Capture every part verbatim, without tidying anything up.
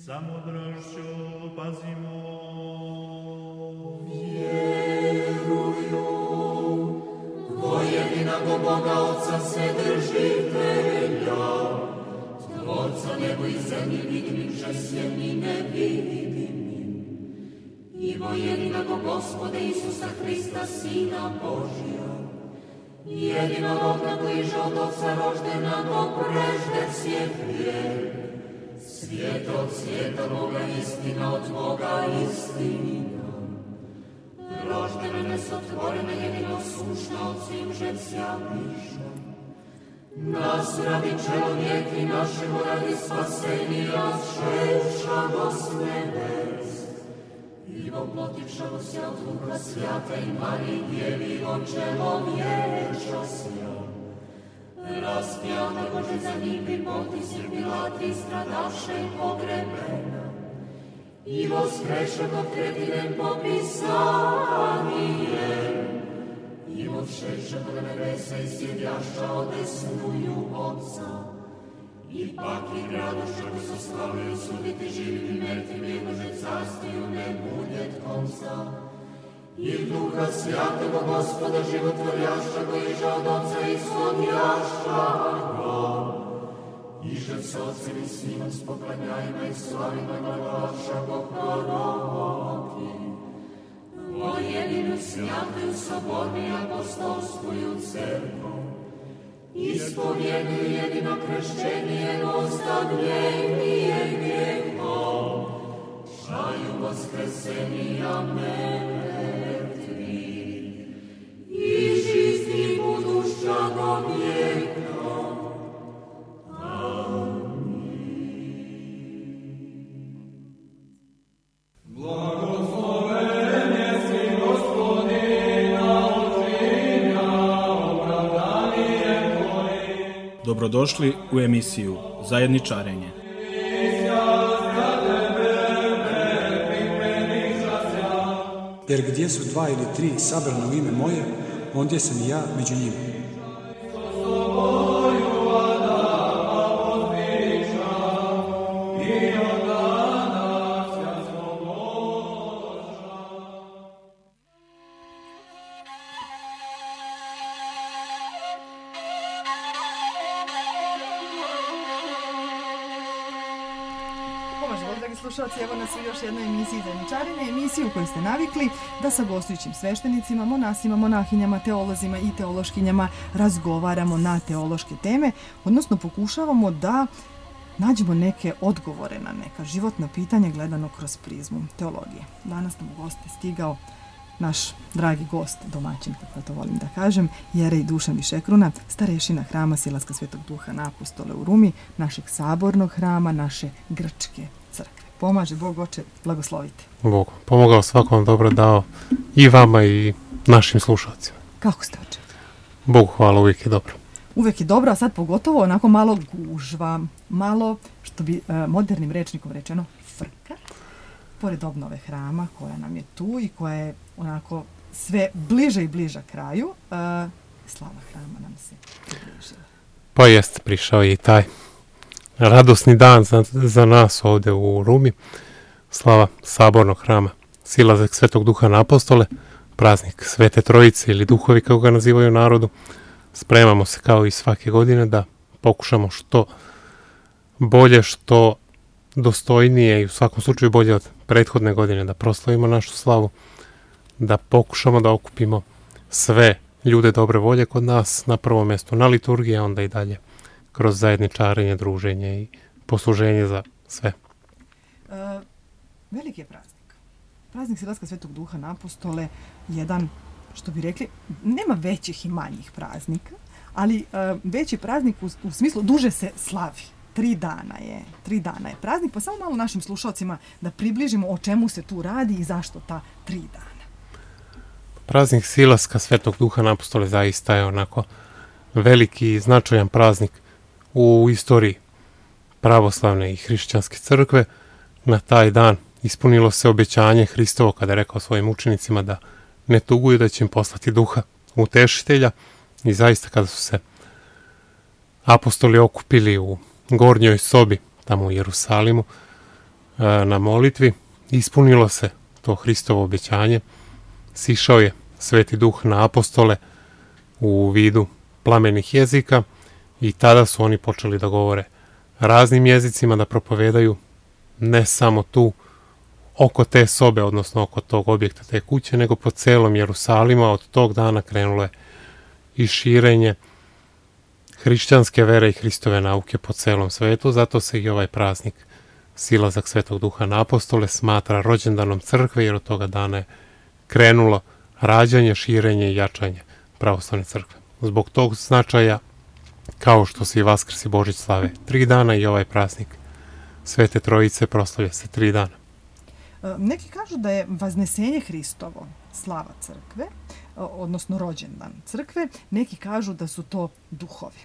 Samodrošću pazimo. Vjeruju vo jedinog Boga Otca Vседržitelja, Tvorca nebo i zemlji vidimim, žesjem i nevidimim, i vo jedinog Gospoda Isusa Hrista, Sina Božja, jedinorodna bliže od Otca roždenog prežde svijek vijek, svijet od svijeta Boga, istina od Boga, istina. Roždena, nesotvorena, jedino sušna od svim žesja bliža. Nas radi čelovjeki našemu radi spasenija šešago s nebes. I voplotivšago se od Duha Svjata i Mariji Djevi od čelovječa sja. Raspjata Bože za njih bi potisir bila tri stradaše pogrebena. I voskreša do tretinem popisanije. I odšeša do nebesa i sjedjaša odesnuju Otca. I pak i gradoša bi se slavio suditi živim i mrtvim, jednože carstiju ne budjet konca. I Duha Svjatoga Gospoda životvorjaša go iža od Otca ishodjaša go. Iže s Otcem i Sinom s poklanjajima i slavima glavaša go proroki. O jedinu svjatu sobornu i apostolskuju crkvu, ispovjeduju jedino kršćenje, ostavljenije grijehom, šaju vaskrsenija mrtvi, i žizni buduća do vijeka. Dobrodošli u emisiju Zajedničarenje. Jer gdje su dva ili tri sabrana u ime moje, ondje sam i ja među njima. Slušalci, evo nas u još jednoj emisiji Zajedničarenje, emisiju u kojoj ste navikli da sa gostujućim sveštenicima, monasima, monahinjama, teolozima i teološkinjama razgovaramo na teološke teme, odnosno pokušavamo da nađemo neke odgovore na neka životna pitanja gledano kroz prizmu teologije. Danas nam u goste stigao naš dragi gost, domaćin, kako to volim da kažem, Jerej Dušan Višekruna, starešina hrama Silaska Svetog Duha na Apostole u Rumi, našeg sabornog hrama, naše grčke crkve. Pomaže Bog, oče, blagoslovite. Bog pomogao, svakom dobro dao i vama i našim slušalcima. Kako ste, oče? Bogu hvala, uvijek je dobro. Uvijek je dobro, a sad pogotovo onako malo gužva, malo, što bi e, modernim rečnikom rečeno, frka, pored obnove hrama koja nam je tu i koja je onako sve bliže i bliža kraju, e, slava hrama nam se približila. Pa jest, prišao je i taj radosni dan za, za nas ovdje u Rumi, slava sabornog hrama Silazak Svetog Duha na Apostole, praznik Svete Trojice ili Duhovi kako ga nazivaju u narodu. Spremamo se kao i svake godine da pokušamo što bolje, što dostojnije i u svakom slučaju bolje od prethodne godine da proslavimo našu slavu, da pokušamo da okupimo sve ljude dobre volje kod nas na prvom mjestu na liturgiji, a onda i dalje kroz zajedničarenje, druženje i posluženje za sve. Uh, veliki je praznik. Praznik Silaska Svetog Duha na Apostole, jedan, što bi rekli, nema većih i manjih praznika, ali uh, veći praznik u, u smislu duže se slavi. Tri dana je, tri dana je praznik, pa samo malo našim slušalcima da približimo o čemu se tu radi i zašto ta tri dana. Praznik Silaska Svetog Duha na Apostole zaista je onako veliki i značajan praznik u istoriji pravoslavne i hrišćanske crkve. Na taj dan ispunilo se obećanje Hristovo kada je rekao svojim učenicima da ne tuguju, da će im poslati Duha utešitelja, i zaista kada su se apostoli okupili u gornjoj sobi tamo u Jerusalimu, na molitvi, ispunilo se to Hristovo obećanje, sišao je Sveti Duh na apostole u vidu plamenih jezika i tada su oni počeli da govore raznim jezicima, da propovedaju ne samo tu oko te sobe, odnosno oko tog objekta, te kuće, nego po celom Jerusalimu. Od tog dana krenulo je i širenje hrišćanske vere i Hristove nauke po celom svetu, zato se i ovaj praznik, silazak Svetog Duha na apostole, smatra rođendanom crkve, jer od toga dana je krenulo rađanje, širenje i jačanje pravoslavne crkve. Zbog tog značaja, kao što se i Vaskrs i Božić slave tri dana, i ovaj praznik Svete Trojice proslavlja se tri dana. Neki kažu da je Vaznesenje Hristovo slava crkve, odnosno rođendan crkve, neki kažu da su to duhovi.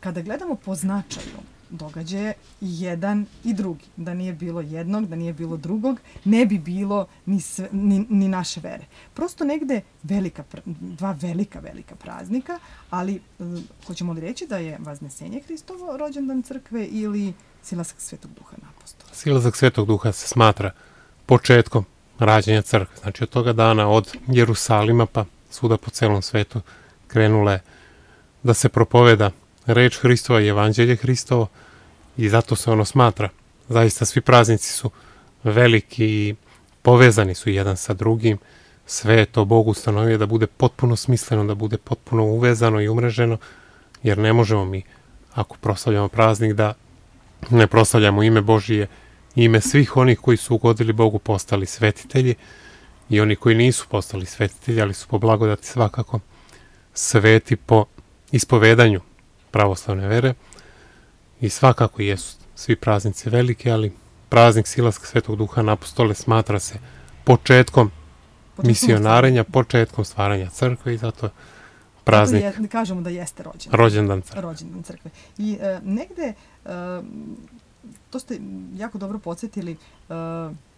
Kada gledamo po značaju događaje jedan i drugi, da nije bilo jednog, da nije bilo drugog, ne bi bilo ni, sve, ni, ni naše vere. Prosto negde velika, dva velika, velika praznika, ali hoćemo li reći da je Vaznesenje Hristovo rođendan crkve ili silazak Svetog Duha na apostola? Silazak Svetog Duha se smatra početkom rađanja crkve. Znači od toga dana, od Jerusalima pa svuda po celom svetu, krenula je da se propoveda reč Hristova i evanđelje Hristovo, i zato se ono smatra. Zaista svi praznici su veliki i povezani su jedan sa drugim. Sve je to Bog ustanovio da bude potpuno smisleno, da bude potpuno uvezano i umreženo, jer ne možemo mi, ako proslavljamo praznik, da ne proslavljamo ime Božije, ime svih onih koji su ugodili Bogu, postali svetitelji, i oni koji nisu postali svetitelji, ali su po blagodati svakako sveti po ispovedanju pravoslavne vere. I svakako jesu svi praznici veliki, ali praznik silaska Svetog Duha na apostole smatra se početkom misionarenja, početkom stvaranja crkve, i zato praznik, zato je, kažemo da jeste rođendan. Rođendan crkve. Rođendan crkve. I e, negde, e, to ste jako dobro podsjetili, e,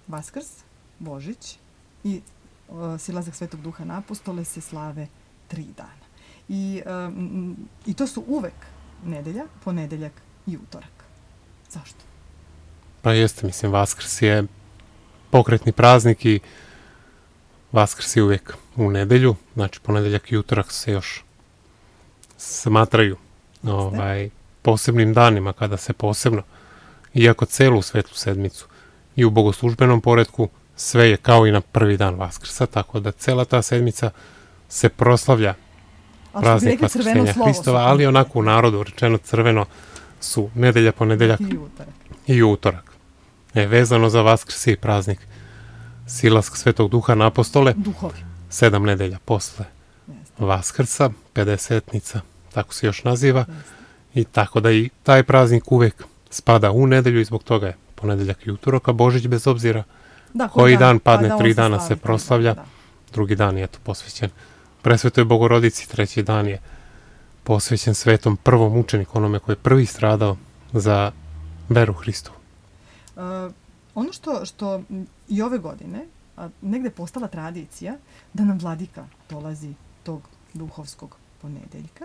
Vaskrs, Božić i e, silazak Svetog Duha na apostole se slave tri dana. I, e, i to su uvek nedelja, ponedeljak i utorak. Zašto? Pa jeste, mislim, Vaskrs je pokretni praznik i Vaskrs je uvijek u nedelju, znači ponedeljak i utorak se još smatraju ovaj, posebnim danima, kada se posebno, iako celu Svetu sedmicu i u bogoslužbenom poretku, sve je kao i na prvi dan Vaskrsa, tako da cela ta sedmica se proslavlja praznik Vaskrsenja Hristova, ali onako u narodu rečeno crveno su nedelja, ponedeljak i utorak. I utorak. E, vezano za Vaskrs i praznik silaska Svetog Duha na apostole, duhovi, sedam nedelja posle Jeste. Vaskrsa, pedesetnica, tako se još naziva. Jeste. I tako da i taj praznik uvek spada u nedelju, i zbog toga je ponedeljak i utorak, a Božić bez obzira da, koji dan, dan padne, pa tri dana se proslavlja, da. Drugi dan je to posvećen Presvetoj Bogorodici, treći dan je posvećen svetom prvom mučeniku, onome koji je prvi stradao za veru Hristovu. Uh, ono što, što i ove godine a, negde postala tradicija da nam vladika dolazi tog duhovskog ponedeljka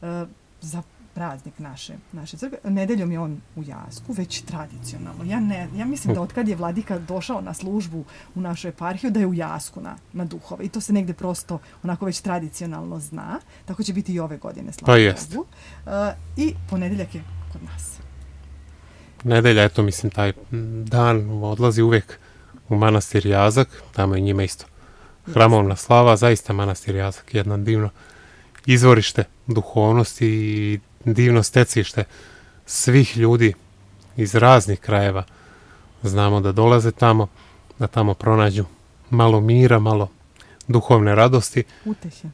uh, za praznik naše, naše crkve. Nedeljom je on u Jasku, već tradicionalno. Ja, ne, ja mislim da otkad je vladika došao na službu u našu eparhiju, da je u Jasku na, na duhove. I to se negde prosto onako već tradicionalno zna. Tako će biti i ove godine, slava pa jest. Bogu. Uh, I ponedeljak je kod nas. Nedelja, eto, mislim, taj dan odlazi uvijek u manastir Jazak, tamo je njima isto hramovna slava, zaista manastir Jazak, jedno divno izvorište duhovnosti i divno stecište svih ljudi iz raznih krajeva. Znamo da dolaze tamo, da tamo pronađu malo mira, malo duhovne radosti. Utehe.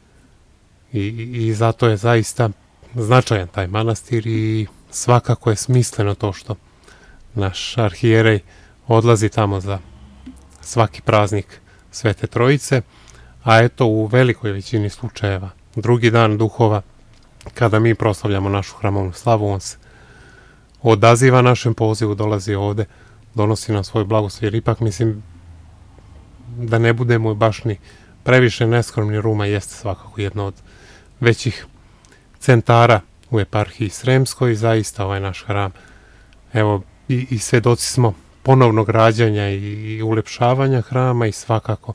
I, i zato je zaista značajan taj manastir, i svakako je smisleno to što naš arhijerej odlazi tamo za svaki praznik Svete Trojice, a eto u velikoj većini slučajeva drugi dan duhova, kada mi proslavljamo našu hramovnu slavu, on se odaziva našem pozivu, dolazi ovde, donosi nam svoj blagoslov, jer ipak mislim da ne budemo baš ni previše neskromni, Ruma jeste svakako jedno od većih centara u eparhiji Sremskoj, i zaista ovaj naš hram, evo, i, i svedoci smo ponovnog rađanja i, i ulepšavanja hrama i svakako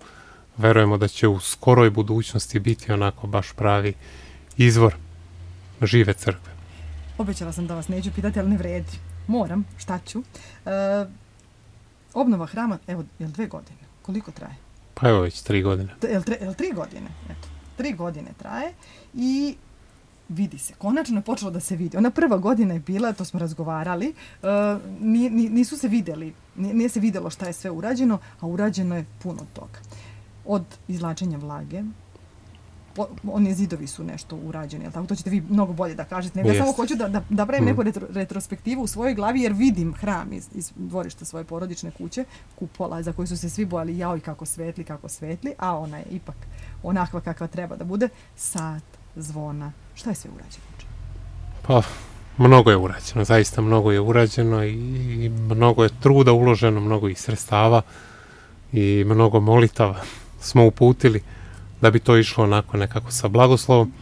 verujemo da će u skoroj budućnosti biti onako baš pravi izvor žive crkve. Obećala sam da vas neću pitati, ali ne vredi. Moram, šta ću. E, obnova hrama, evo, je li dve godine? Koliko traje? Pa evo već tri godine. Je li, tre, je li tri godine? Eto, tri godine traje i vidi se. Konačno je počelo da se vidi. Ona prva godina je bila, to smo razgovarali, uh, nisu se vidjeli, nije se vidjelo šta je sve urađeno, a urađeno je puno toga. Od izvlačenja vlage, po, oni zidovi su nešto urađeni, jel tako? To ćete vi mnogo bolje da kažete. Ne, ja samo hoću da, da, da pravim mm. neku retro, retrospektivu u svojoj glavi, jer vidim hram iz, iz dvorišta svoje porodične kuće, kupola za koju su se svi bojali, jao i kako svetli, kako svetli, a ona je ipak onakva kakva treba da bude. Sat, zvona, šta je sve urađeno? Pa, mnogo je urađeno, zaista mnogo je urađeno i, i mnogo je truda uloženo, mnogo i sredstava i mnogo molitava smo uputili da bi to išlo onako nekako sa blagoslovom.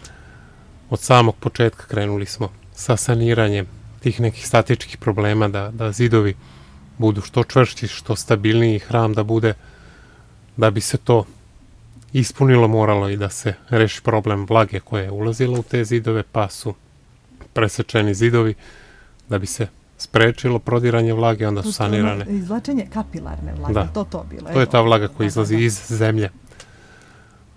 Od samog početka krenuli smo sa saniranjem tih nekih statičkih problema, da, da zidovi budu što čvršći, što stabilniji, hram da bude, da bi se to ispunilo, moralo i da se reši problem vlage koja je ulazila u te zidove, pa su presečeni zidovi da bi se sprečilo prodiranje vlage, onda su sanirane. Izvlačenje kapilarne vlage, da. to to bilo. To je ta vlaga koja izlazi da, da. iz zemlje.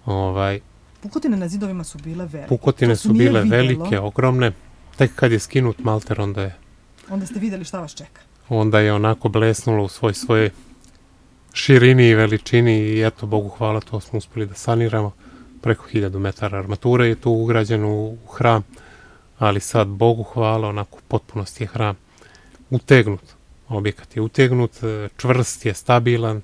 Ovaj, pukotine na zidovima su bile velike. Pukotine su bile velike, ogromne. Tek kad je skinut malter, onda je... Onda ste vidjeli šta vas čeka. Onda je onako blesnulo u svoj svoje širini i veličini i eto, Bogu hvala, to smo uspeli da saniramo. Preko hiljadu metara armature je tu ugrađeno u hram, ali sad, Bogu hvala, onako u potpunosti je hram utegnut. Objekat je utegnut, čvrst je, stabilan,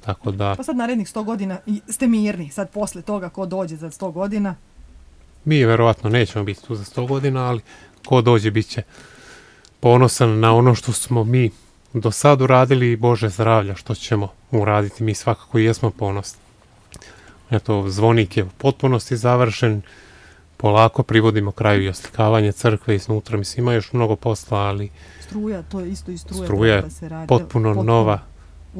tako da... Pa sad narednih sto godina ste mirni, sad posle toga ko dođe za sto godina? Mi verovatno nećemo biti tu za sto godina, ali ko dođe bit će ponosan na ono što smo mi do sad uradili i Bože zdravlja što ćemo uraditi. Mi svakako i jesmo ponosni. Eto, zvonik je u potpunosti završen, polako privodimo kraju i oslikavanje crkve iznutra. Mislim, ima još mnogo posla, ali... Struja, to je isto i struja. Struja je se radi, potpuno, potpuno nova,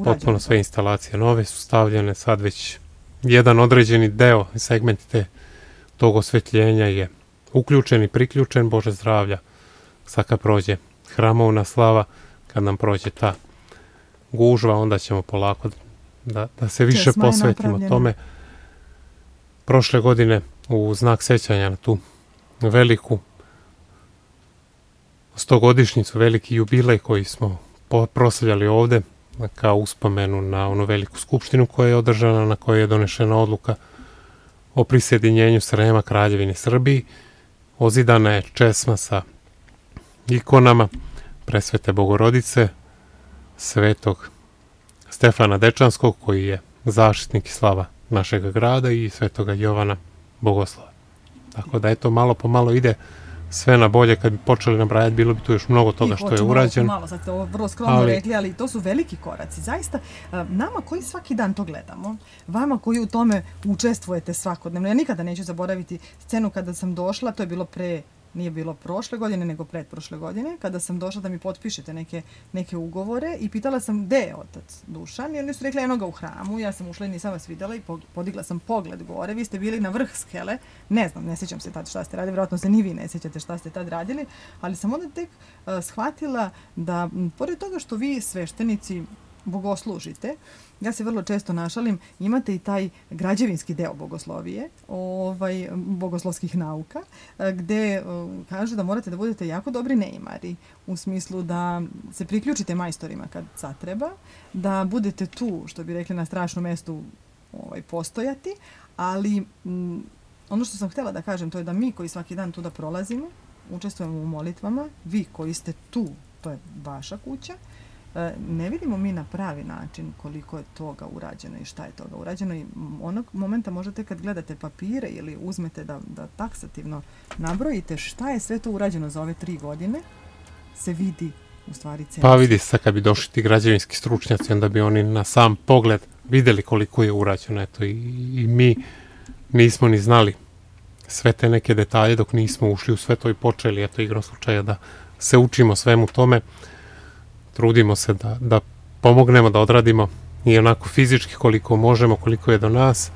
potpuno sve instalacije nove su stavljene, sad već jedan određeni deo, segment te, tog osvetljenja je uključen i priključen, Bože zdravlja. Sad kad prođe hramovna slava, kad nam prođe ta gužva, onda ćemo polako da, da se više Česma posvetimo tome. Prošle godine u znak sećanja na tu veliku stogodišnjicu, veliki jubilej koji smo proslavljali ovde kao uspomenu na onu veliku skupštinu koja je održana, na kojoj je donešena odluka o prisjedinjenju Srema Kraljevini Srbiji. Ozidana je česma sa ikonama Presvete Bogorodice, Svetog Stefana Dečanskog koji je zaštitnik i slava našeg grada i Svetoga Jovana Bogoslova. Tako da eto, malo po malo ide sve na bolje. Kad bi počeli nabrajati, bilo bi tu još mnogo toga što je urađeno. Malo, sad ste ovo vrlo skromno ali... rekli, ali to su veliki koraci. Zaista, nama koji svaki dan to gledamo, vama koji u tome učestvujete svakodnevno, ja nikada neću zaboraviti scenu kada sam došla, to je bilo pre, nije bilo prošle godine, nego pretprošle godine, kada sam došla da mi potpišete neke, neke ugovore i pitala sam gde je otac Dušan i oni su rekli eno ga u hramu, ja sam ušla i nisam vas vidjela i podigla sam pogled gore, vi ste bili na vrh skele, ne znam, ne sjećam se tad šta ste radili, vjerojatno se ni vi ne sjećate šta ste tad radili, ali sam onda tek uh, shvatila da, m, pored toga što vi sveštenici bogoslužite, ja se vrlo često našalim, imate i taj građevinski deo bogoslovije, ovaj, bogoslovskih nauka, gde kažu da morate da budete jako dobri neimari, u smislu da se priključite majstorima kad zatreba, da budete tu, što bi rekli, na strašnom mestu ovaj, postojati, ali m, ono što sam htjela da kažem, to je da mi koji svaki dan tu da prolazimo, učestvujemo u molitvama, vi koji ste tu, to je vaša kuća, ne vidimo mi na pravi način koliko je toga urađeno i šta je toga urađeno i onog momenta možete kad gledate papire ili uzmete da, da taksativno nabrojite šta je sve to urađeno za ove tri godine, se vidi u stvari cena. Pa vidi se kad bi došli ti građevinski stručnjaci, onda bi oni na sam pogled vidjeli koliko je urađeno. Eto, i, i mi nismo ni znali sve te neke detalje dok nismo ušli u sve to i počeli, eto, igrom slučaja da se učimo svemu tome. trudimo se da, da pomognemo, da odradimo i onako fizički koliko možemo, koliko je do nas.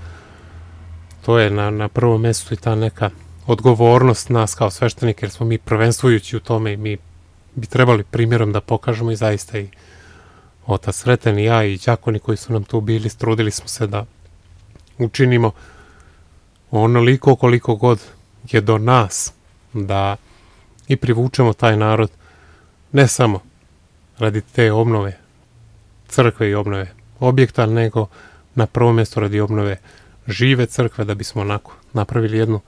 To je na, na prvom mjestu i ta neka odgovornost nas kao sveštenika, jer smo mi prvenstvujući u tome i mi bi trebali primjerom da pokažemo i zaista i otac Sreten i ja i đakoni koji su nam tu bili, trudili smo se da učinimo onoliko koliko god je do nas, da i privučemo taj narod ne samo radi te obnove crkve i obnove objekta, nego na prvom mjestu radi obnove žive crkve, da bismo onako napravili jednu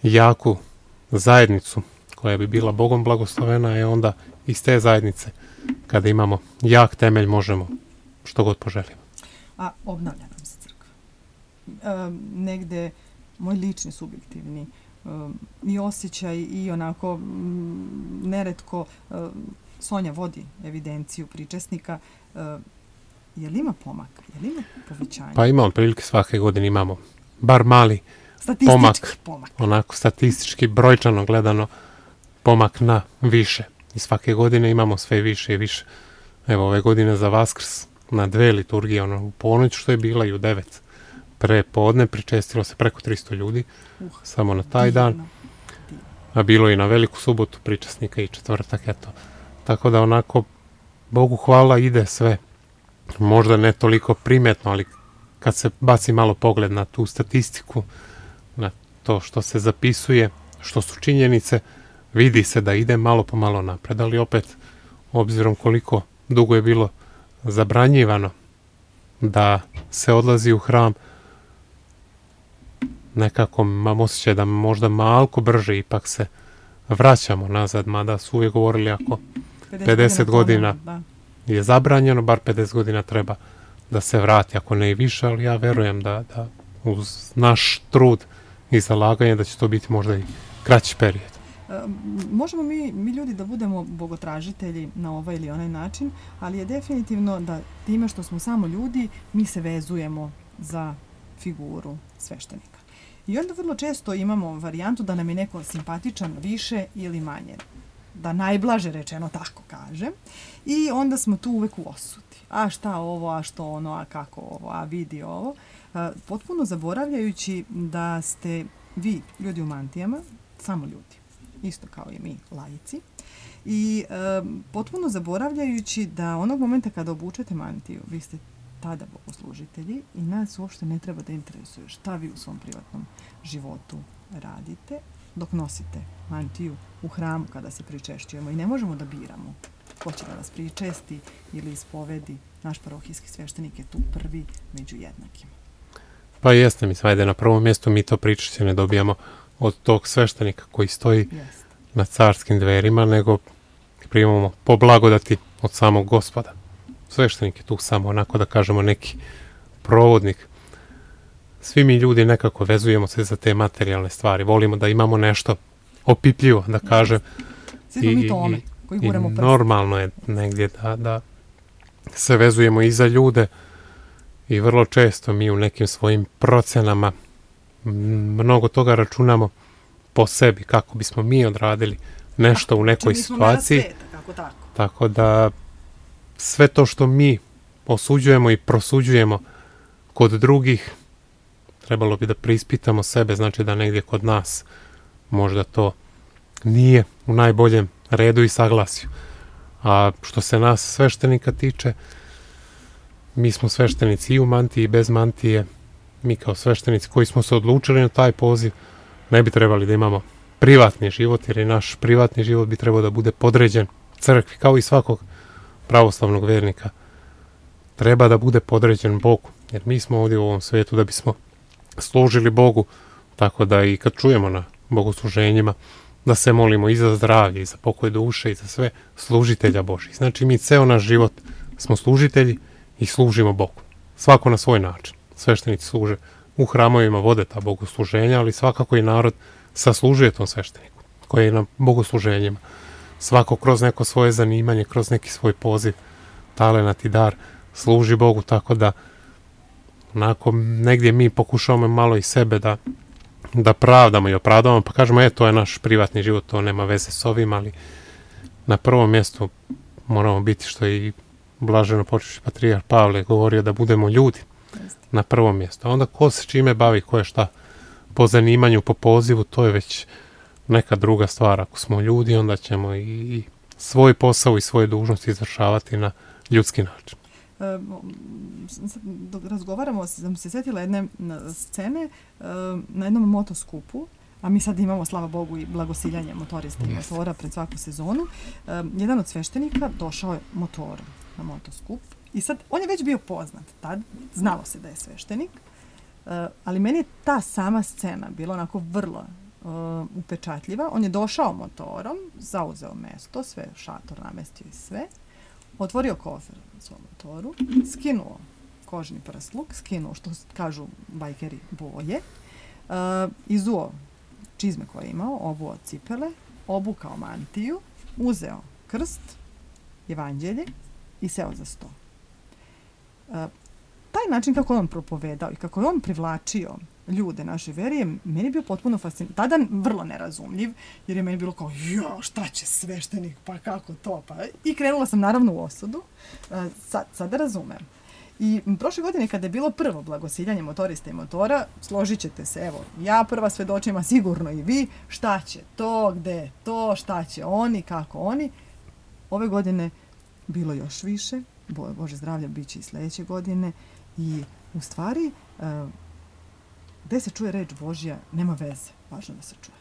jaku zajednicu koja bi bila Bogom blagoslovena, i onda iz te zajednice, kada imamo jak temelj, možemo što god poželimo. A obnavlja nam se crkva. E, negde moj lični subjektivni e, i osjećaj i onako m, neretko e, Sonja vodi evidenciju pričesnika. E, je li ima pomaka? Je li ima povećanja? Pa ima otprilike svake godine imamo bar mali pomak, pomak, onako statistički, brojčano gledano, pomak na više. I svake godine imamo sve više i više. Evo, ove godine za Vaskrs na dve liturgije, ono, u ponoć što je bila i u devet pre podne, pričestilo se preko tristo ljudi, uh, samo na taj divno, dan. Divno. A bilo i na veliku subotu pričesnika i četvrtak, eto. Tako da onako, Bogu hvala, ide sve. Možda ne toliko primetno, ali kad se baci malo pogled na tu statistiku, na to što se zapisuje, što su činjenice, vidi se da ide malo po malo napred, ali opet, obzirom koliko dugo je bilo zabranjivano da se odlazi u hram, nekako mam osjećaj da možda malko brže ipak se vraćamo nazad, mada su uvijek govorili ako pedeset godina je zabranjeno, bar pedeset godina treba da se vrati, ako ne i više, ali ja verujem da, da uz naš trud i zalaganje da će to biti možda i kraći period. E, možemo mi, mi ljudi da budemo bogotražitelji na ovaj ili onaj način, ali je definitivno da time što smo samo ljudi, mi se vezujemo za figuru sveštenika. I onda vrlo često imamo varijantu da nam je neko simpatičan više ili manje, da najblaže rečeno tako kažem, i onda smo tu uvek u osudi. A šta ovo, a što ono, a kako ovo, a vidi ovo. E, potpuno zaboravljajući da ste vi, ljudi u mantijama, samo ljudi, isto kao i mi, laici, i e, potpuno zaboravljajući da onog momenta kada obučete mantiju, vi ste tada bogoslužitelji i nas uopšte ne treba da interesuje šta vi u svom privatnom životu radite dok nosite mantiju u hramu kada se pričešćujemo, i ne možemo da biramo ko će da vas pričesti ili ispovedi. Naš parohijski sveštenik je tu prvi među jednakima. Pa jeste, mi svajde na prvom mjestu mi to pričešće ne dobijamo od tog sveštenika koji stoji Jest. na carskim dverima, nego primamo po blagodati od samog Gospoda. Sveštenik je tu samo onako da kažemo neki provodnik. Svi mi ljudi nekako vezujemo se za te materijalne stvari. Volimo da imamo nešto opipljivo, da kažem. Svi smo mi tome koji guramo prst. Normalno je negdje da, da se vezujemo i za ljude i vrlo često mi u nekim svojim procenama mnogo toga računamo po sebi, kako bismo mi odradili nešto u nekoj situaciji. Sveta, kako tako. Tako da sve to što mi osuđujemo i prosuđujemo kod drugih, trebalo bi da preispitamo sebe, znači da negdje kod nas možda to nije u najboljem redu i saglasju. A što se nas sveštenika tiče, mi smo sveštenici i u mantiji i bez mantije. Mi kao sveštenici koji smo se odlučili na taj poziv, ne bi trebali da imamo privatni život, jer i naš privatni život bi trebao da bude podređen crkvi, kao i svakog pravoslavnog vernika. Treba da bude podređen Bogu, jer mi smo ovdje u ovom svijetu da bismo služili Bogu, tako da i kad čujemo na bogosluženjima, da se molimo i za zdravlje, i za pokoj duše, i za sve služitelja Božih. Znači mi ceo naš život smo služitelji i služimo Bogu. Svako na svoj način. Sveštenici služe u hramovima, vode ta bogosluženja, ali svakako i narod saslužuje tom svešteniku koji je na bogosluženjima. Svako kroz neko svoje zanimanje, kroz neki svoj poziv, talenat i dar služi Bogu, tako da onako negdje mi pokušavamo malo i sebe da, da pravdamo i opravdamo, pa kažemo, e, to je naš privatni život, to nema veze s ovim, ali na prvom mjestu moramo biti, što je i blaženo počešći patrijarh Pavle govorio, da budemo ljudi na prvom mjestu. A onda ko se čime bavi, ko je šta po zanimanju, po pozivu, to je već neka druga stvar. Ako smo ljudi, onda ćemo i svoj posao i svoje dužnosti izvršavati na ljudski način. E, dok razgovaramo, sam se sjetila jedne scene e, na jednom motoskupu, a mi sad imamo, slava Bogu, i blagosiljanje motorista i motora pred svaku sezonu. E, jedan od sveštenika došao je motorom na motoskup i sad on je već bio poznat tad, znalo se da je sveštenik, e, ali meni je ta sama scena bila onako vrlo Uh, upečatljiva. On je došao motorom, zauzeo mesto, sve šator namestio i sve, otvorio kofer na svom motoru, skinuo kožni prsluk, skinuo, što kažu bajkeri, boje, uh, izuo čizme koje je imao, obuo cipele, obukao mantiju, uzeo krst, evanđelje i seo za sto. Uh, taj način kako je on propovedao i kako je on privlačio ljude naše vere je meni bio potpuno fascinantno. Tada vrlo nerazumljiv, jer je meni bilo kao, jo, šta će sveštenik, pa kako to, pa... I krenula sam naravno u osudu. Sad, sada razumem. I prošle godine kada je bilo prvo blagosiljanje motorista i motora, složit ćete se, evo, ja prva svedočim, a sigurno i vi, šta će to, gde je to, šta će oni, kako oni. Ove godine bilo još više, Bo, Bože zdravlja, bit će i sljedeće godine. I u stvari... Uh, gde se čuje reč Božja, nema veze. Važno da se čuje.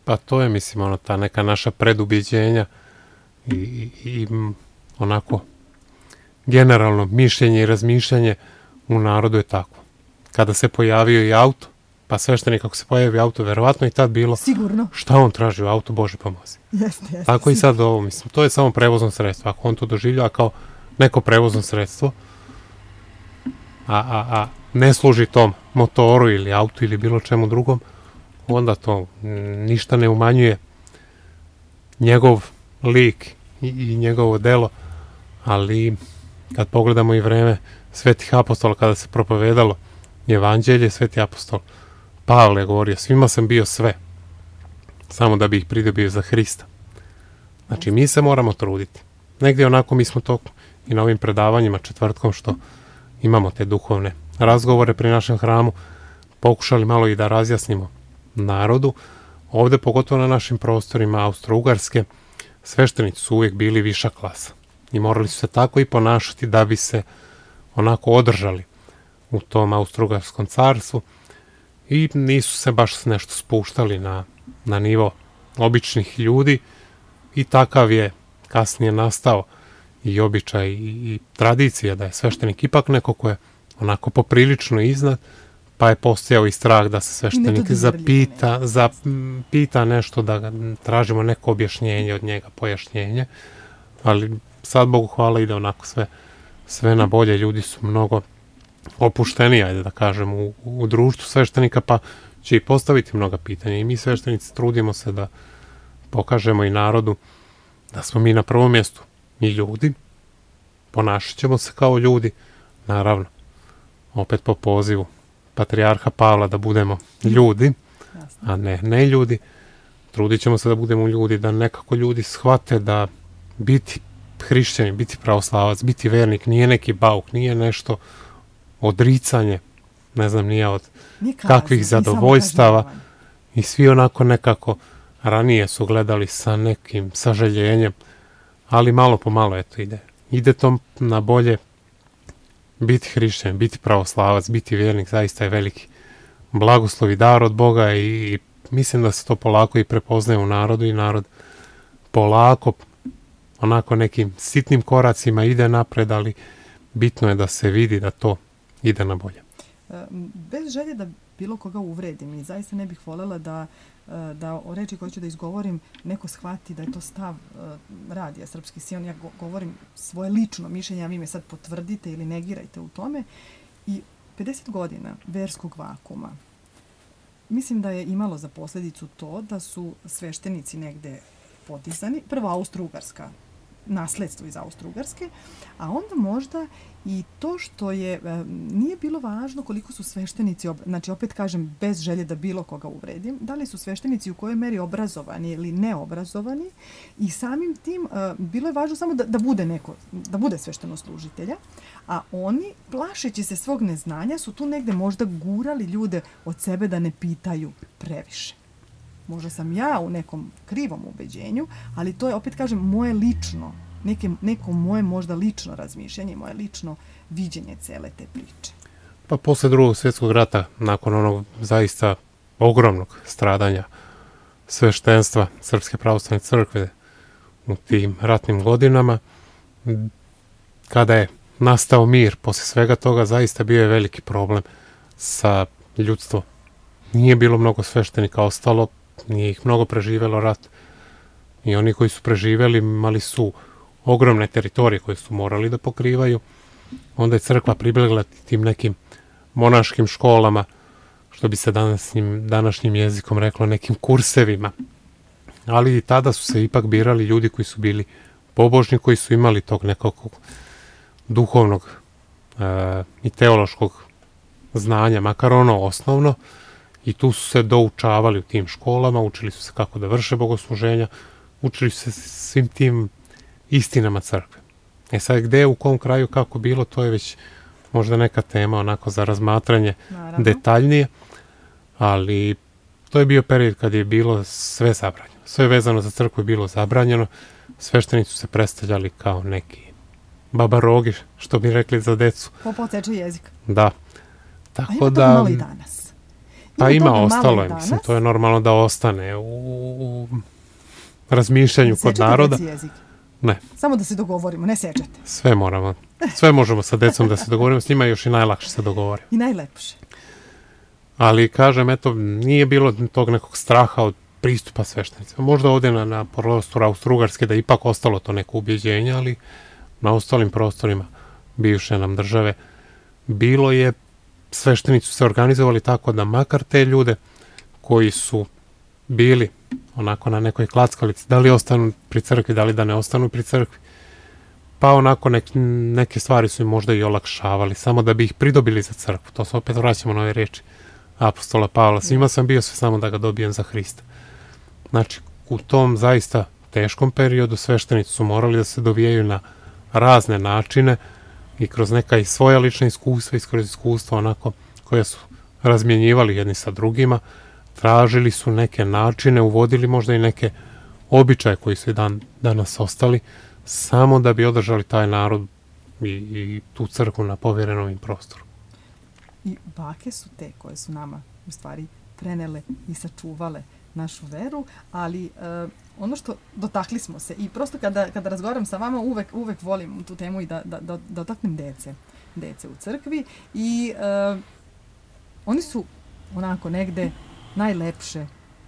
Pa to je, mislim, ono, ta neka naša predubiđenja i, i, i onako generalno mišljenje i razmišljanje u narodu je tako. Kada se pojavio i auto, pa sveštenik ako se pojavi auto, verovatno i tad bilo sigurno. Šta on traži u auto, Bože pomozi. Jeste, jeste. Tako i sad ovo, mislim, to je samo prevozno sredstvo. Ako on to doživlja kao neko prevozno sredstvo, a, a, a ne služi tom motoru ili autu ili bilo čemu drugom, onda to ništa ne umanjuje njegov lik i, i njegovo delo, ali kad pogledamo i vreme svetih apostola, kada se propovedalo evanđelje, sveti apostol Pavle je govorio, svima sam bio sve, samo da bi ih pridobio za Hrista. Znači, mi se moramo truditi. Negdje onako mi smo to i na ovim predavanjima četvrtkom što imamo te duhovne razgovore pri našem hramu, pokušali malo i da razjasnimo narodu. Ovdje, pogotovo na našim prostorima Austro-Ugarske, sveštenici su uvijek bili viša klasa i morali su se tako i ponašati da bi se onako održali u tom Austro-Ugarskom carstvu i nisu se baš nešto spuštali na, na nivo običnih ljudi i takav je kasnije nastao i običaj i, i tradicija da je sveštenik ipak neko ko je onako poprilično iznad, pa je postojao i strah da se sveštenik zapita, zapita nešto, da ga tražimo neko objašnjenje od njega, pojašnjenje, ali sad Bogu hvala ide onako sve, sve na bolje, ljudi su mnogo opušteniji, ajde da kažem, u, u društvu sveštenika, pa će i postaviti mnoga pitanja i mi sveštenici trudimo se da pokažemo i narodu da smo mi na prvom mjestu i ljudi, ponašat ćemo se kao ljudi, naravno, opet po pozivu patrijarha Pavla da budemo ljudi, a ne ne ljudi. Trudit ćemo se da budemo ljudi, da nekako ljudi shvate da biti hrišćanin, biti pravoslavac, biti vernik nije neki bauk, nije nešto odricanje, ne znam, nije od Nikaz, kakvih zadovoljstava i svi onako nekako ranije su gledali sa nekim sažaljenjem, ali malo po malo eto ide. Ide to na bolje. Biti hrišćan, biti pravoslavac, biti vjernik zaista je veliki blagoslov i dar od Boga i, i mislim da se to polako i prepoznaje u narodu i narod polako onako nekim sitnim koracima ide napred, ali bitno je da se vidi da to ide na bolje. Bez želje da bilo koga uvredim i zaista ne bih voljela da da o reči koje ću da izgovorim neko shvati da je to stav uh, radija Srpski Sion. Ja go- govorim svoje lično mišljenje, a vi me sad potvrdite ili negirajte u tome. I pedeset godina verskog vakuma mislim da je imalo za posljedicu to da su sveštenici negde podizani. Prvo Austro-Ugarska nasledstvo iz Austro-Ugarske, a onda možda i to što je, nije bilo važno koliko su sveštenici, znači opet kažem, bez želje da bilo koga uvredim, da li su sveštenici u kojoj meri obrazovani ili neobrazovani i samim tim bilo je važno samo da, da bude neko, da bude sveštenoslужitelja, a oni, plašeći se svog neznanja, su tu negde možda gurali ljude od sebe da ne pitaju previše. Možda sam ja u nekom krivom ubeđenju, ali to je, opet kažem, moje lično, neke, neko moje možda lično razmišljanje, moje lično viđenje cele te priče. Pa posle drugog svjetskog rata, nakon onog zaista ogromnog stradanja sveštenstva Srpske pravoslavne crkve u tim ratnim godinama, kada je nastao mir, posle svega toga zaista bio je veliki problem sa ljudstvom. Nije bilo mnogo sveštenika ostalo, nije ih mnogo preživelo rat. I oni koji su preživeli imali su ogromne teritorije koje su morali da pokrivaju. Onda je crkva pribegla tim nekim monaškim školama, što bi se današnjim, današnjim jezikom reklo, nekim kursevima. Ali i tada su se ipak birali ljudi koji su bili pobožni, koji su imali tog nekog duhovnog e, i teološkog znanja, makar ono osnovno, i tu su se doučavali u tim školama, učili su se kako da vrše bogosluženja, učili su se svim tim istinama crkve. E sad, gde, u kom kraju, kako bilo, to je već možda neka tema onako za razmatranje Naravno. detaljnije, ali to je bio period kad je bilo sve zabranjeno. Sve vezano za crkvu je bilo zabranjeno, sveštenici su se predstavljali kao neki babarogi, što bi rekli za decu. Popoteče jezik. Da. Tako A ima da... to malo i danas. Pa ima, ima ostalo je, mislim, to je normalno da ostane u, u razmišljanju kod naroda. Sečete jezik? Ne. Samo da se dogovorimo, ne sečete. Sve moramo, sve možemo sa decom da se dogovorimo, s njima još i najlakše se dogovorimo. I najlepše. Ali, kažem, eto, nije bilo tog nekog straha od pristupa sveštenicima. Možda ovdje na, na prostoru Austro-Ugarske da ipak ostalo to neko ubjeđenje, ali na ostalim prostorima bivše nam države bilo je, sveštenici su se organizovali tako da makar te ljude koji su bili onako na nekoj klackalici, da li ostanu pri crkvi, da li da ne ostanu pri crkvi, pa onako nek, neke stvari su im možda i olakšavali, samo da bi ih pridobili za crkvu. To se opet vraćamo na ove reči apostola Pavla. Svima sam bio sve samo da ga dobijem za Hrista. Znači, u tom zaista teškom periodu sveštenici su morali da se dovijaju na razne načine i kroz neka i svoja lična iskustva i kroz iskustva onako koje su razmjenjivali jedni sa drugima, tražili su neke načine, uvodili možda i neke običaje koji su i dan, danas ostali, samo da bi održali taj narod i, i tu crkvu na povjerenom im prostoru. I bake su te koje su nama u stvari prenele i sačuvale našu veru, ali uh, ono što dotakli smo se i prosto kada, kada razgovaram sa vama uvek, uvek volim tu temu i da, da, da dotaknem dece, dece u crkvi i uh, oni su onako negde najlepše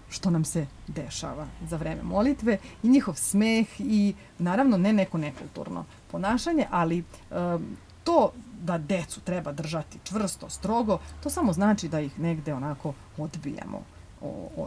što nam se dešava za vreme molitve i njihov smeh i naravno ne neko nekulturno ponašanje, ali uh, to da decu treba držati čvrsto, strogo, to samo znači da ih negde onako odbijamo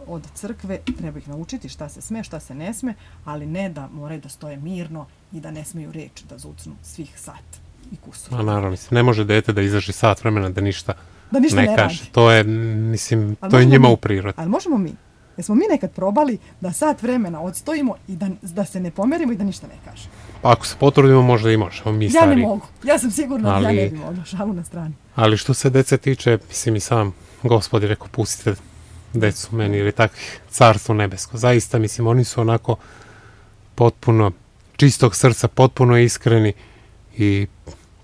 od crkve, treba ih naučiti šta se sme, šta se ne sme, ali ne da moraju da stoje mirno i da ne smeju reči da zucnu svih sat i kusur. A naravno, mislim, ne može dete da izdrži sat vremena da ništa, da ništa ne, ne kaže. Radi. To je, mislim, ali to je njima mi, u prirodi. Ali možemo mi. Jesmo mi nekad probali da sat vremena odstojimo i da, da se ne pomerimo i da ništa ne kažemo? Pa ako se potrudimo, možda i možemo mi stari. Ja ne mogu. Ja sam sigurna ali, da ja ne bi mogla. Šalu na strani. Ali što se dece tiče, mislim i sam Gospod je rekao, pustite decu meni ili takvih carstvo nebesko. Zaista, mislim, oni su onako potpuno čistog srca, potpuno iskreni i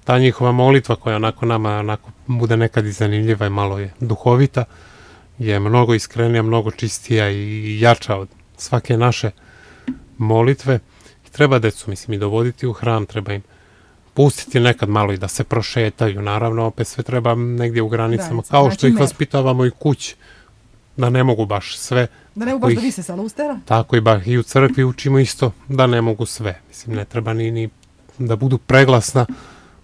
ta njihova molitva koja onako nama onako bude nekad i zanimljiva i malo je duhovita, je mnogo iskrenija, mnogo čistija i jača od svake naše molitve. I treba decu, mislim, i dovoditi u hram, treba im pustiti nekad malo i da se prošetaju. Naravno, opet sve treba negdje u granicama, Granica. kao što znači, ih vaspitavamo i kući, da ne mogu baš sve. Da ne mogu baš ih, da vise sa lustera? Tako i, ba, i u crkvi učimo isto da ne mogu sve. Mislim, ne treba ni, ni da budu preglasna,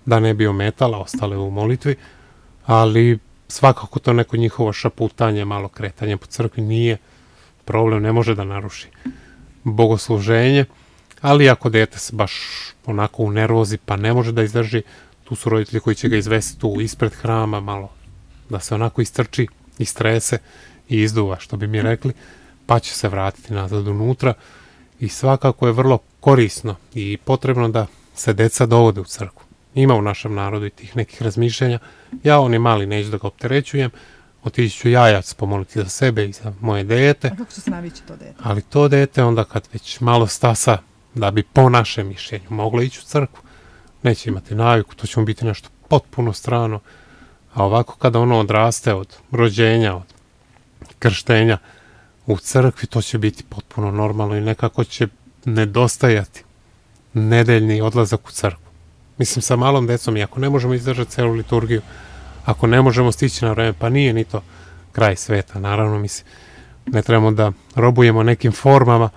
da ne bi ometala ostale u molitvi, ali svakako to neko njihovo šaputanje, malo kretanje po crkvi nije problem, ne može da naruši bogosluženje. Ali ako dete se baš onako u nervozi pa ne može da izdrži, tu su roditelji koji će ga izvesti tu ispred hrama, malo da se onako istrči, istrese i izduva, što bi mi rekli, pa će se vratiti nazad unutra. I svakako je vrlo korisno i potrebno da se deca dovode u crkvu. Ima u našem narodu i tih nekih razmišljanja. Ja, on je mali, neću da ga opterećujem, otići ću jajac pomoliti za sebe i za moje dete. A kako će se navići to dete? Ali to dete onda kad već malo stasa, da bi po našem mišljenju moglo ići u crkvu, neće imati naviku, to će mu biti nešto potpuno strano. A ovako kada ono odraste od rođenja, od krštenja u crkvi, to će biti potpuno normalno i nekako će nedostajati nedeljni odlazak u crkvu. Mislim, sa malom decom, i ako ne možemo izdržati celu liturgiju, ako ne možemo stići na vreme, pa nije ni to kraj sveta. Naravno, mislim, ne trebamo da robujemo nekim formama,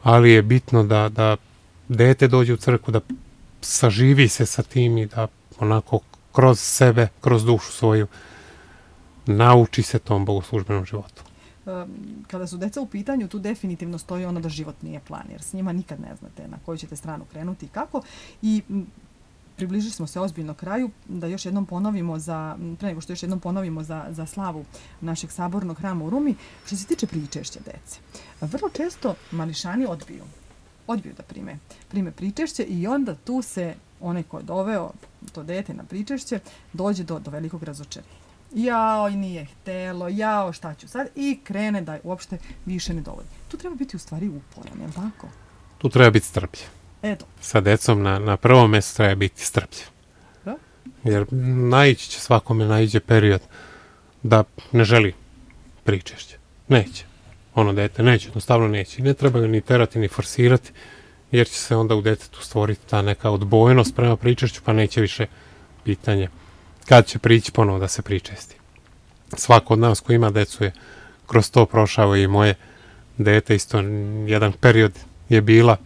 ali je bitno da, da dete dođe u crkvu, da saživi se sa tim i da onako kroz sebe, kroz dušu svoju, nauči se tom bogoslužbenom životu. Kada su deca u pitanju, tu definitivno stoji ono da život nije plan, jer s njima nikad ne znate na koju ćete stranu krenuti i kako. I približili smo se ozbiljno kraju, da još jednom ponovimo za, pre nego što još jednom ponovimo za, za slavu našeg sabornog hrama u Rumi, što se tiče pričešća dece. Vrlo često mališani odbiju, odbiju da prime, prime pričešće i onda tu se onaj ko je doveo to dete na pričešće dođe do, do velikog razočarenja. Jao, i nije htelo, jao, šta ću sad? I krene da uopšte više ne dovodi. Tu treba biti u stvari uporan, je li tako? Tu treba biti strpljiv. Eto. Sa decom na, na prvom mjestu treba biti strpljiv. Da? Jer naići će svakome, naiđe period da ne želi pričešće. Neće. Ono dete neće, jednostavno neće. I ne treba ga ni terati, ni forsirati, jer će se onda u detetu stvoriti ta neka odbojnost prema pričešću, pa neće više pitanje kad će prići ponovo da se pričesti. Svako od nas ko ima decu je kroz to prošao i moje dete isto jedan period je bila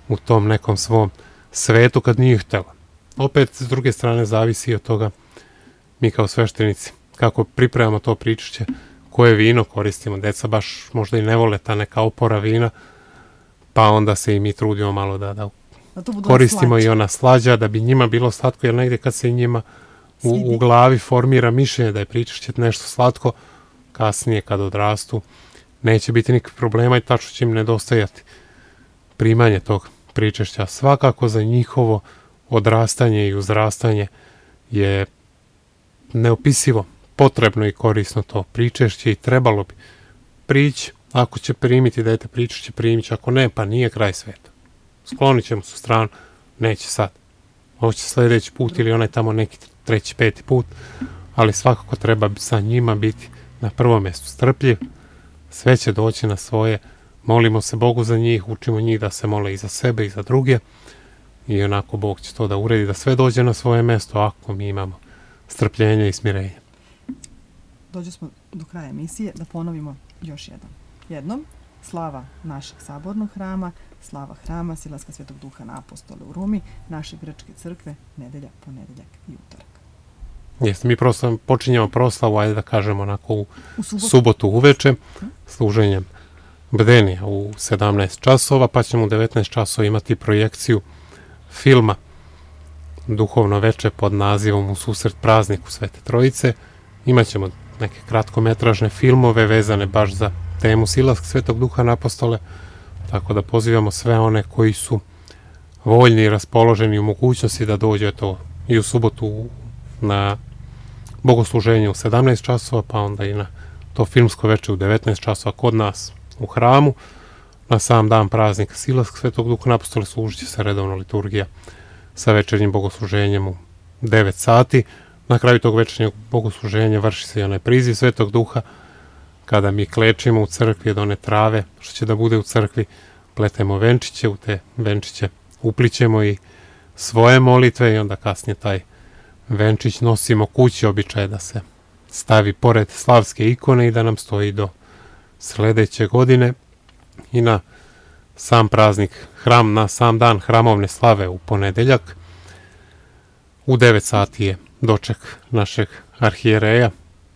u tom nekom svom svetu kad nije htjela. Opet, s druge strane, zavisi od toga mi kao sveštenici kako pripremamo to pričešće, koje vino koristimo. Deca baš možda i ne vole ta neka opora vina, pa onda se i mi trudimo malo da, da, da koristimo i ona slađa, da bi njima bilo slatko, jer negdje kad se njima u, u glavi formira mišljenje da je pričešće nešto slatko, kasnije kad odrastu neće biti nikakvih problema i tačno će im nedostajati primanje tog pričešća. Svakako za njihovo odrastanje i uzrastanje je neopisivo potrebno i korisno to pričešće i trebalo bi prići. Ako će primiti dete pričešće, primit će, ako ne, pa nije kraj sveta. Sklonit ćemo se u stranu, neće sad. Hoće sljedeći put ili onaj tamo neki treći, peti put, ali svakako treba sa njima biti na prvom mjestu strpljiv, sve će doći na svoje, molimo se Bogu za njih, učimo njih da se mole i za sebe i za druge i onako Bog će to da uredi, da sve dođe na svoje mjesto ako mi imamo strpljenje i smirenje. Dođe smo do kraja emisije, da ponovimo još jednom. Jednom, slava našeg sabornog hrama, slava hrama Silaska Svetog Duha na Apostole u Rumi, naše grčke crkve, nedelja, ponedeljak i utorak. Jeste, mi proslav, počinjemo proslavu, ajde da kažemo onako u, u subotu, subotu uveče, hm? služenjem bdenija u sedamnaest časova, pa ćemo u devetnaest časova imati projekciju filma Duhovno veče pod nazivom U susret prazniku Svete Trojice. Imaćemo neke kratkometražne filmove vezane baš za temu Silaska Svetog Duha na Apostole, tako da pozivamo sve one koji su voljni i raspoloženi u mogućnosti da dođe to i u subotu na bogosluženje u sedamnaest časova, pa onda i na to filmsko veče u devetnaest časova kod nas u hramu. Na sam dan praznika Silaska Svetog Duha na Apostole služit će se redovna liturgija sa večernjim bogosluženjem u devet sati. Na kraju tog večernjeg bogosluženja vrši se i onaj priziv Svetog Duha, kada mi klečimo u crkvi od one trave što će da bude u crkvi, pletemo venčiće, u te venčiće uplićemo i svoje molitve i onda kasnije taj venčić nosimo kući, običaj da se stavi pored slavske ikone i da nam stoji do sljedeće godine. I na sam praznik, hram, na sam dan hramovne slave u ponedeljak u devet sati je doček našeg arhijereja,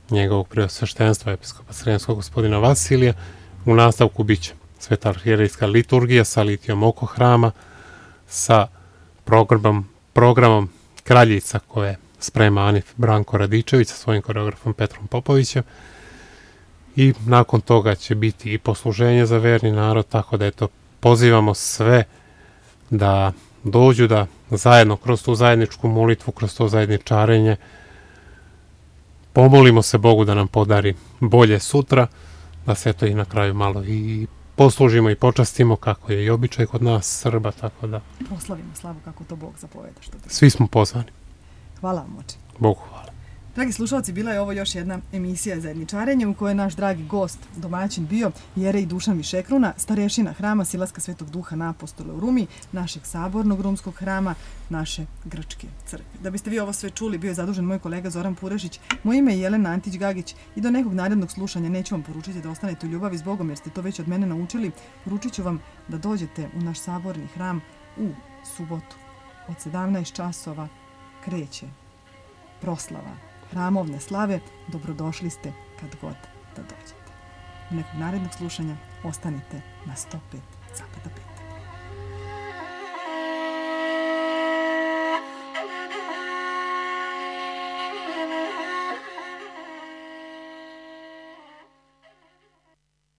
njegovog preosveštenstva episkopa Sremskog gospodina Vasilija. U nastavku bit će Sveta arhijerejska liturgija sa litijom oko hrama, sa programom, programom Kraljica koje sprema Anif Branko Radičević sa svojim koreografom Petrom Popovićem. I nakon toga će biti i posluženje za verni narod, tako da eto, pozivamo sve da dođu, da zajedno kroz tu zajedničku molitvu, kroz to zajedničarenje pomolimo se Bogu da nam podari bolje sutra, da se to i na kraju malo i poslužimo i počastimo kako je i običaj kod nas Srba, tako da proslavimo slavu kako to Bog zapoveda. Što svi smo pozvani. Hvala vam, oče. Bogu hvala. Dragi slušalci, bila je ovo još jedna emisija Zajedničarenje u kojoj je naš dragi gost, domaćin bio Jerej Dušan Višekruna, starešina hrama Silaska Svetog Duha na Apostole u Rumi, našeg sabornog rumskog hrama, naše grčke crkve. Da biste vi ovo sve čuli, bio je zadužen moj kolega Zoran Purešić, moje ime je Jelena Antić-Gagić i do nekog narednog slušanja neću vam poručiti da ostanete u ljubavi s Bogom jer ste to već od mene naučili. Poručit ću vam da dođete u naš saborni hram u subotu. Od sedamnaest časova kreće proslava hramovne slave. Dobrodošli ste kad god da dođete. U nekog narednog slušanja ostanite na sto pet zarez pet.